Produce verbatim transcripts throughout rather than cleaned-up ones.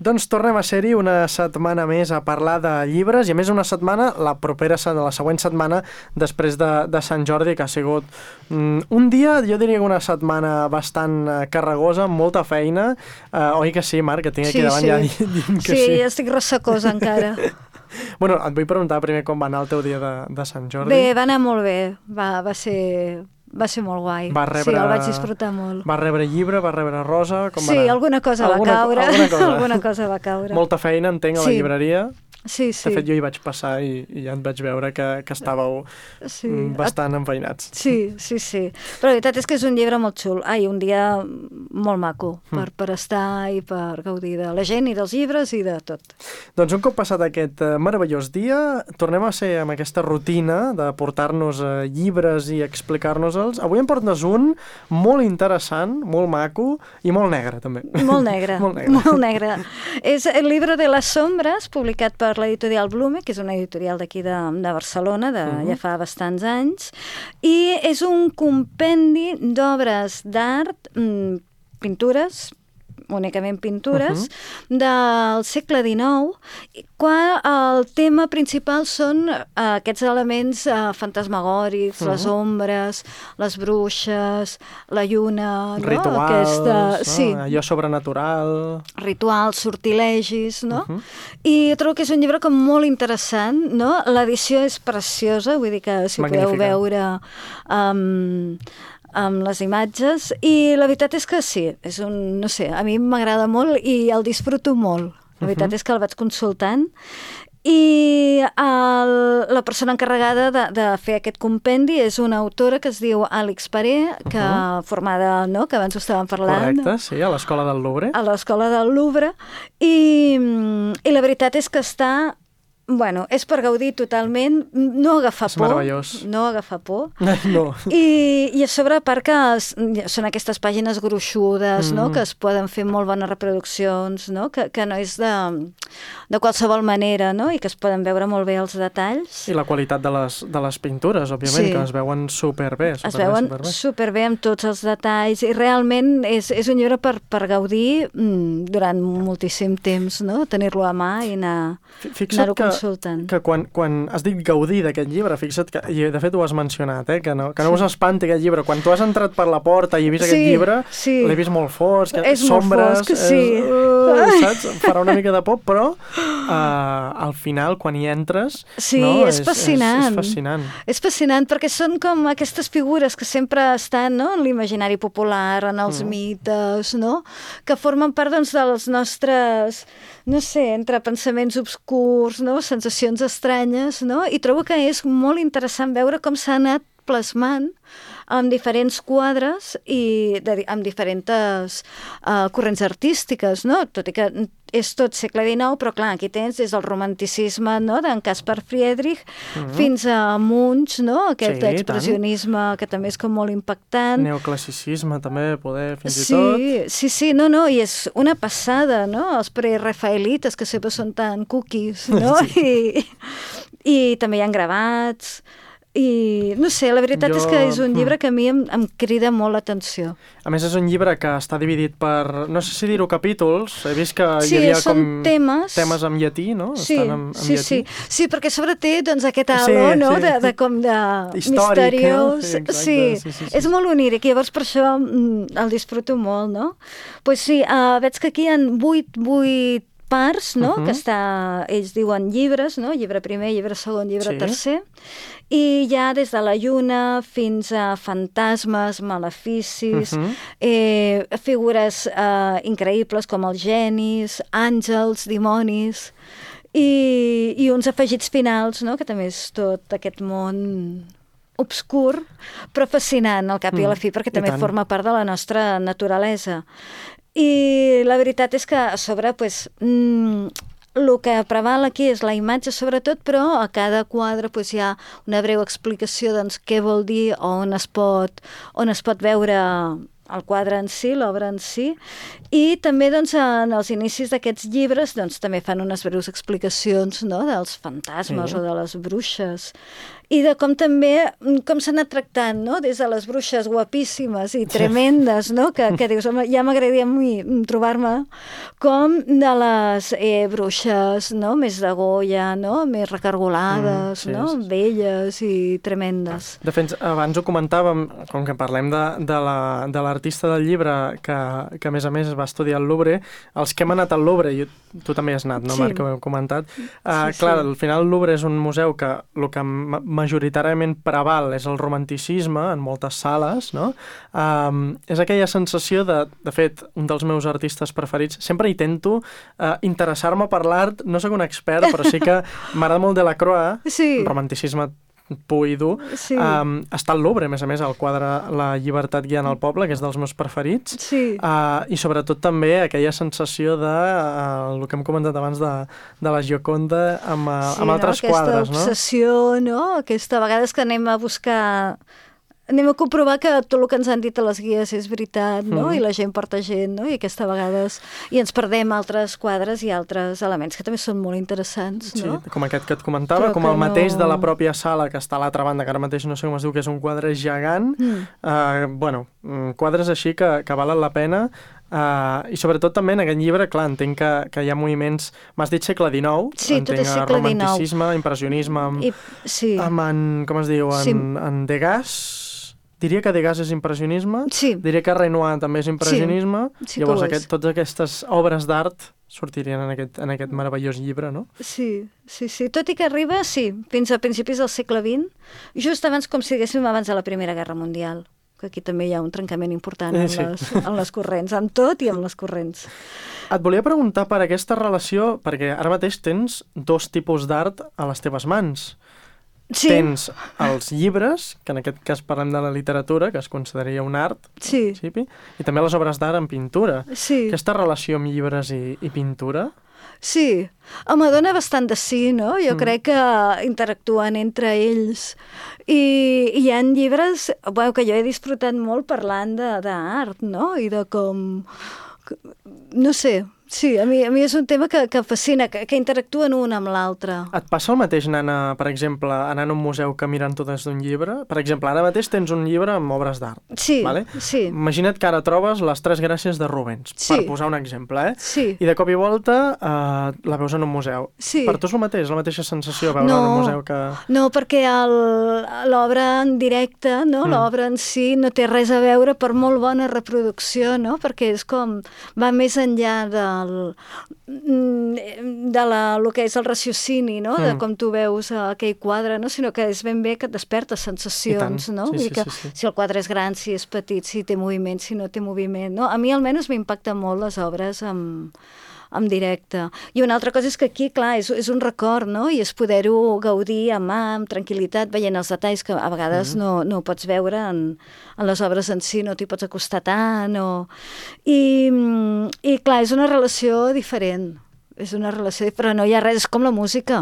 Doncs tornem a ser-hi una setmana més a parlar de llibres i a més una setmana, la propera, la següent setmana després de, de Sant Jordi, que ha sigut mm, un dia, jo diria que una setmana bastant carregosa, amb molta feina. Uh, oi que sí, Marc, que tinc aquí sí, davant sí. ja dient que sí. sí. Sí, estic ressacosa encara. Bueno, et vull preguntar primer com va anar el teu dia de, de Sant Jordi. Bé, va anar molt bé, va, va ser... Va ser molt guai. Va rebre... Sí, el vaig disfrutar molt. Va rebre llibre, va rebre rosa, com sí, va anar? Sí, alguna cosa alguna, va caure. Alguna cosa. alguna cosa va caure. Molta feina, entenc, a la sí. llibreria. Sí, sí. De fet, jo hi vaig passar i, i ja et vaig veure que, que estàveu sí. bastant enfeinats. Sí, sí, sí. Però la veritat és que és un llibre molt xul. Ai, un dia molt maco per, mm. per estar i per gaudir de la gent i dels llibres i de tot. Doncs un cop passat aquest uh, meravellós dia, tornem a ser amb aquesta rutina de portar-nos uh, llibres i explicar-nos-els. Avui em portes un molt interessant, molt maco i molt negre, també. Molt negre. molt negre. Molt negre. És el llibre de les sombres, publicat per l'editorial Blume, que és una editorial d'aquí de, de Barcelona, de, uh-huh. ja fa bastants anys, i és un compendi d'obres d'art, mm, pintures, únicament pintures, uh-huh. del segle dinou, quan el tema principal són uh, aquests elements uh, fantasmagòrics, uh-huh. les ombres, les bruixes, la lluna... Rituals, no? Aquesta, no? Sí. Allò sobrenatural... Rituals, sortilegis, no? Uh-huh. I trobo que és un llibre com molt interessant, no? L'edició és preciosa, vull dir que si Magnífica. Podeu veure... Um, amb les imatges, i la veritat és que sí, és un, no sé, a mi m'agrada molt i el disfruto molt. La veritat uh-huh. és que el vaig consultant i el, la persona encarregada de, de fer aquest compendi és una autora que es diu Àlex Paré, que uh-huh. formada, no?, que abans ho estàvem parlant. Correcte, sí, a l'Escola del Louvre. A l'Escola del Louvre, i, i la veritat és que està... Bueno, és per gaudir totalment, no agafar és por. meravellós. No agafar por. No. I, I a sobre, a part que es, són aquestes pàgines gruixudes, mm. no?, que es poden fer molt bones reproduccions, no?, que, que no és de, de qualsevol manera, no?, i que es poden veure molt bé els detalls. I la qualitat de les, de les pintures, òbviament, sí. que es veuen superbé. superbé es veuen superbé. superbé amb tots els detalls, i realment és, és un llibre per, per gaudir mm, durant moltíssim temps, no?, tenir-lo a mà i anar, anar-ho que... consultant. Que quan, quan has dit gaudir d'aquest llibre, fixa't que, i de fet ho has mencionat, eh, que no, que no sí. us espanti aquest llibre. Quan tu has entrat per la porta i he vist sí, aquest llibre, sí. l'he vist molt fosc, és sombres, molt fosc, sí. és, uh, saps? Farà una mica de por, però uh, al final, quan hi entres... Sí, no, és, és fascinant. És, és fascinant. És fascinant perquè són com aquestes figures que sempre estan, no?, en l'imaginari popular, en els mm. mites, no?, que formen part, doncs, dels nostres, no sé, entre pensaments obscurs, no?, sensacions estranyes, no?, i trobo que és molt interessant veure com s'ha anat plasmant amb diferents quadres i de, amb diferents uh, corrents artístiques, no?, tot i que és tot segle dinou, però clar, aquí tens des del romanticisme, no?, d'en Caspar Friedrich, mm-hmm. fins a Munch, no?, aquest sí, expressionisme tant. Que també és com molt impactant. Neoclassicisme també, poder, fins sí, i tot. Sí, sí, no, no, i és una passada, no?, els prerafaelites, que sempre són tan cookies, no?, sí. I, i també hi ha gravats... I, no sé, la veritat jo... és que és un llibre que a mi em, em crida molt l'atenció. A més, és un llibre que està dividit per, no sé si dir-ho capítols, he vist que sí, hi havia com temes, temes en llatí, no? Sí, Estan en, en sí, llatí. sí, sí, perquè sobre té doncs, aquest halo, sí, no?, sí. de, de com de històric, misteriós. No? Sí, exacte, sí, sí, sí, sí, és sí. molt oníric, i llavors per això mm, el disfruto molt, no? Pues sí, uh, veig que aquí hi ha vuit, vuit parts, no?, uh-huh. que està, ells diuen llibres, no?, llibre primer, llibre segon, llibre sí. tercer, i hi ha des de la lluna fins a fantasmes, maleficis, uh-huh. eh, figures eh, increïbles com els genis, àngels, dimonis, i, i uns afegits finals, no?, que també és tot aquest món obscur, però fascinant al cap mm, i a la fi, perquè també forma part de la nostra naturalesa. I la veritat és que a sobre, pues, mm, el que preval aquí és la imatge sobretot, però a cada quadre pues, hi ha una breu explicació doncs, què vol dir o on es pot, on es pot veure el quadre en si, l'obra en si, i també doncs, en els inicis d'aquests llibres doncs, també fan unes breus explicacions, no?, dels fantasmes sí. o de les bruixes, i de com també, com s'ha anat tractant, no?, des de les bruixes guapíssimes i tremendes, no?, que, que dius, home, ja m'agradaria a mi trobar-me, com de les eh, bruixes, no?, més de Goya, no?, més recargolades, mm, sí, no?, sí. Velles i tremendes. De fet, abans ho comentàvem, com que parlem de, de la, de l'artista del llibre, que, que a més a més va estudiar al Louvre, els que hem anat al Louvre, i tu també has anat, no, sí. Marc, que ho heu comentat, uh, sí, clar, sí. al final el Louvre és un museu que el que majoritàriament preval és el romanticisme en moltes sales, no? Um, és aquella sensació de, de fet, un dels meus artistes preferits, sempre intento uh, interessar-me per l'art, no sóc un expert, però sí que m'agrada molt Delacroix, sí. romanticisme pur i dur, sí. um, està al Louvre, a més a més, el quadre La llibertat guiant el poble, que és dels meus preferits, sí. uh, i sobretot també aquella sensació de, uh, el que hem comentat abans, de, de la Gioconda amb, uh, sí, amb altres no? quadres, no? Aquesta obsessió, no? Aquesta vegades que anem a buscar... Anem a comprovar que tot el que ens han dit a les guies és veritat, no? Mm. I la gent porta gent, no? I aquesta vegades... I ens perdem altres quadres i altres elements que també són molt interessants, no? Sí, com aquest que et comentava, però com el mateix no... de la pròpia sala que està a l'altra banda, que ara mateix no sé com es diu, que és un quadre gegant. Mm. Uh, bueno, quadres així que, que valen la pena. Uh, I sobretot també en aquest llibre, clar, entenc que, que hi ha moviments... M'has dit segle dinou, sí, entenc tot és segle romanticisme, impressionisme, amb, I, sí. amb en, com es diu, en, sí. en Degas... Diria que Degas és impressionisme, sí. diria que Renoir també és impressionisme, sí. Sí, llavors aquest, totes aquestes obres d'art sortirien en aquest, en aquest meravellós llibre, no? Sí, sí, sí, tot i que arriba, sí, fins a principis del segle vint, just abans, com si diguéssim, abans de la Primera Guerra Mundial, que aquí també hi ha un trencament important en, sí. les, en les corrents, amb tot i amb les corrents. Et volia preguntar per aquesta relació, perquè ara mateix tens dos tipus d'art a les teves mans. Sí. Tens els llibres, que en aquest cas parlem de la literatura, que es consideraria un art, sí. i també les obres d'art en pintura. Sí. Aquesta relació amb llibres i, i pintura? Sí, home, dona bastant de sí, no? Jo mm. crec que interactuen entre ells. I hi ha llibres bueno, que jo he disfrutat molt parlant d'art, no? I de com... No sé... Sí, a mi, a mi és un tema que, que fascina, que, que interactuen un amb l'altre. Et passa el mateix anant, a, per exemple, anant a un museu que mirant-ho des d'un llibre? Per exemple, ara mateix tens un llibre amb obres d'art. Sí, vale? sí. Imagina't que ara trobes Les Tres Gràcies de Rubens, sí. per posar un exemple, eh? Sí. I de cop i volta eh, la veus en un museu. Sí. Per tu és el mateix, la mateixa sensació veure no, en un museu que... No, perquè l'obra en directe, no? Mm. L'obra en si no té res a veure per molt bona reproducció, no? Perquè és com... va més enllà del... de la, el que és el raciocini, no? Mm. De com tu veus aquell quadre, no? Sinó que és ben bé que et desperta sensacions, no? Sí, sí, sí, que, sí, sí. Si el quadre és gran, si és petit, si té moviment, si no té moviment, no? A mi almenys m'impacta molt les obres amb, amb directe. I una altra cosa és que aquí, clar, és, és un record, no? I és poder-ho gaudir amb mà, amb tranquil·litat, veient els detalls que a vegades mm. no, no pots veure en, en les obres en si, no t'hi pots acostar tant, o... I, i clar, és una relació diferent. És una relació, però no hi ha res, és com la música.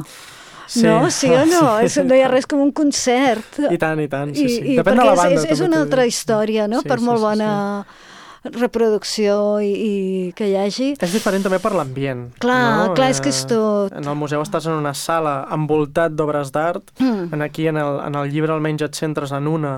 Sí. No? Sí o no? És, no hi ha res com un concert. I tant, i tant, sí, sí. I, Depèn de la banda. És, és una altra història, no? Sí, per sí, molt sí, bona sí. reproducció i, i que hi hagi. És diferent també per l'ambient. Clar, no? clar, és que és tot. En el museu estàs en una sala envoltat d'obres d'art, mm. aquí en el, en el llibre almenys et centres en una,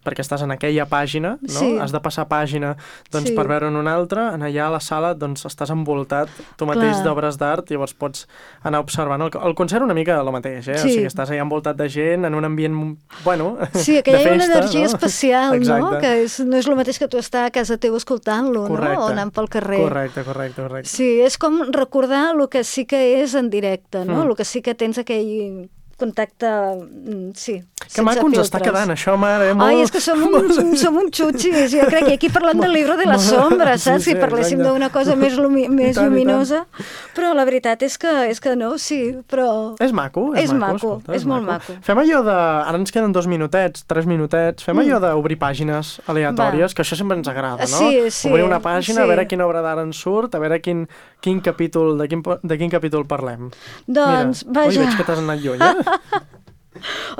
perquè estàs en aquella pàgina, no? Sí. Has de passar pàgina doncs, sí. per veure en una altra, en allà a la sala doncs, estàs envoltat tu mateix d'obres d'art, llavors pots anar observant. El, el concert una mica el mateix, eh? Sí. O sigui, estàs allà envoltat de gent, en un ambient, bueno, sí, que de hi ha festa, una energia no? especial, Exacte. no? Que és, no és el mateix que tu estar a casa teu escoltant-lo, no? O anant pel carrer. Correcte, correcte, correcte. Sí, és com recordar el que sí que és en directe, no? Mm. El que sí que tens aquell contacte, sí, que maco ens està quedant, això, mare. Molt... Ai, és que som un, som un xutxis. Jo crec que aquí parlem del llibre de la sombra, saps? Sí, sí, si parléssim d'una cosa més, lumi més tant, luminosa. Però la veritat és que, és que no, sí, però... És maco, és, és maco. maco Escolta, és, és molt maco. maco. Fem allò de... Ara ens queden dos minutets, tres minutets. Fem allò d'obrir pàgines aleatòries, Va. que això sempre ens agrada, no? Sí, sí. Obrir una pàgina, sí. a veure quina obra d'ara ens surt, a veure quin, quin capítol, de quin, de quin capítol parlem. Doncs, Mira, vaja. Ui, veig que t'has anat lluny, eh?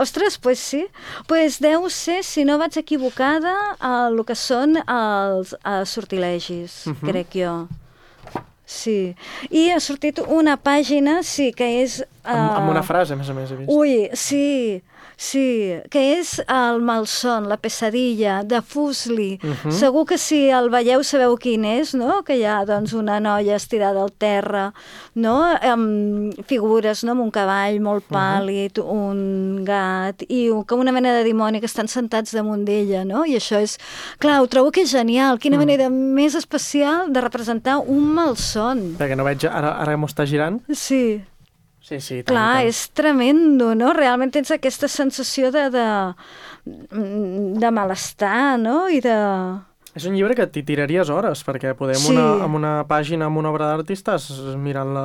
Ostres, pues sí. Pues deu ser, si no vaig equivocada, el que són els, els sortilegis, uh-huh. crec jo. Sí. I ha sortit una pàgina, sí, que és... Uh... Amb, amb una frase, a més a més, he vist. Ui, sí, sí, que és el malson, la pesadilla, de Fusli. Uh-huh. Segur que si el veieu sabeu quin és, no? Que hi ha, doncs, una noia estirada al terra, no? Amb figures, no? Amb un cavall molt pàl·lid, uh-huh. un gat, i com una mena de dimoni que estan sentats damunt d'ella, no? I això és... Clar, ho trobo que és genial. Quina uh-huh. manera més especial de representar un malson. Perquè no veig... Ara, ara m'ho està girant. Sí. Sí, sí, tant, clar, tant. És tremendo, no? Realment tens aquesta sensació de, de, de malestar, no? I de... És un llibre que t'hi tiraries hores, perquè podem sí. una, amb una pàgina, amb una obra d'artista, mirant la...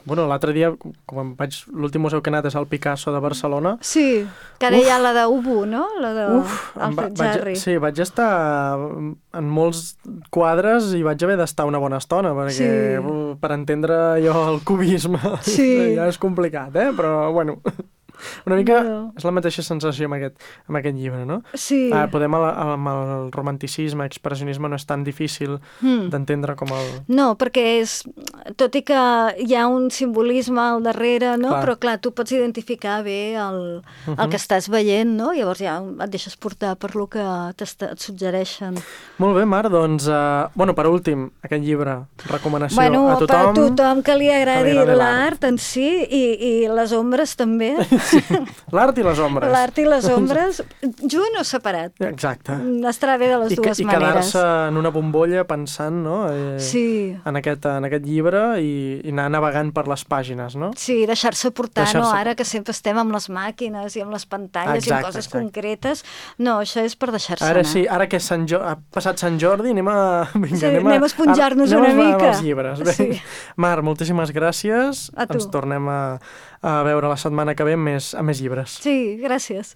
Bueno, l'altre dia, com vaig... L'últim museu que he anat és el Picasso de Barcelona. Sí, que ara Uf. hi ha la d'Ubu, no? La de Uf, Alfred va, Jarry. Sí, vaig estar en molts quadres i vaig haver d'estar una bona estona, perquè sí. per entendre jo el cubisme sí. ja és complicat, eh? Però, bueno... Una mica no. és la mateixa sensació amb aquest, amb aquest llibre, no? Sí. Uh, podem, el, amb el romanticisme, expressionisme, no és tan difícil mm. d'entendre com el... No, perquè és... Tot i que hi ha un simbolisme al darrere, no? Clar. Però, clar, tu pots identificar bé el, uh-huh. el que estàs veient, no? Llavors ja et deixes portar per lo que et suggereixen. Molt bé, Mar, doncs... Uh, bueno, per últim, aquest llibre, recomanació bueno, a tothom... Bueno, per tothom que li agradi, que li agradi l'art en si i, i les ombres també. Sí. L'art i les ombres. L'art i les ombres, junt o separat. Exacte. Estarà bé de les I dues que, maneres. I quedar-se en una bombolla pensant, no? Eh, sí. En aquest, en aquest llibre i, i anar navegant per les pàgines, no? Sí, deixar-se portar, deixar-se... no? Ara que sempre estem amb les màquines i amb les pantalles exacte, i amb coses exacte. concretes. No, això és per deixar-se ara, anar. Sí, ara que Sant jo... ha passat Sant Jordi, anem a... Vinga, sí, anem a, anem a esponjar-nos una mica. Anem als llibres. Bé. Sí. Mar, moltíssimes gràcies. A tu. Ens tornem a, a veure la setmana que ve amb més, amb més llibres. Sí, gràcies.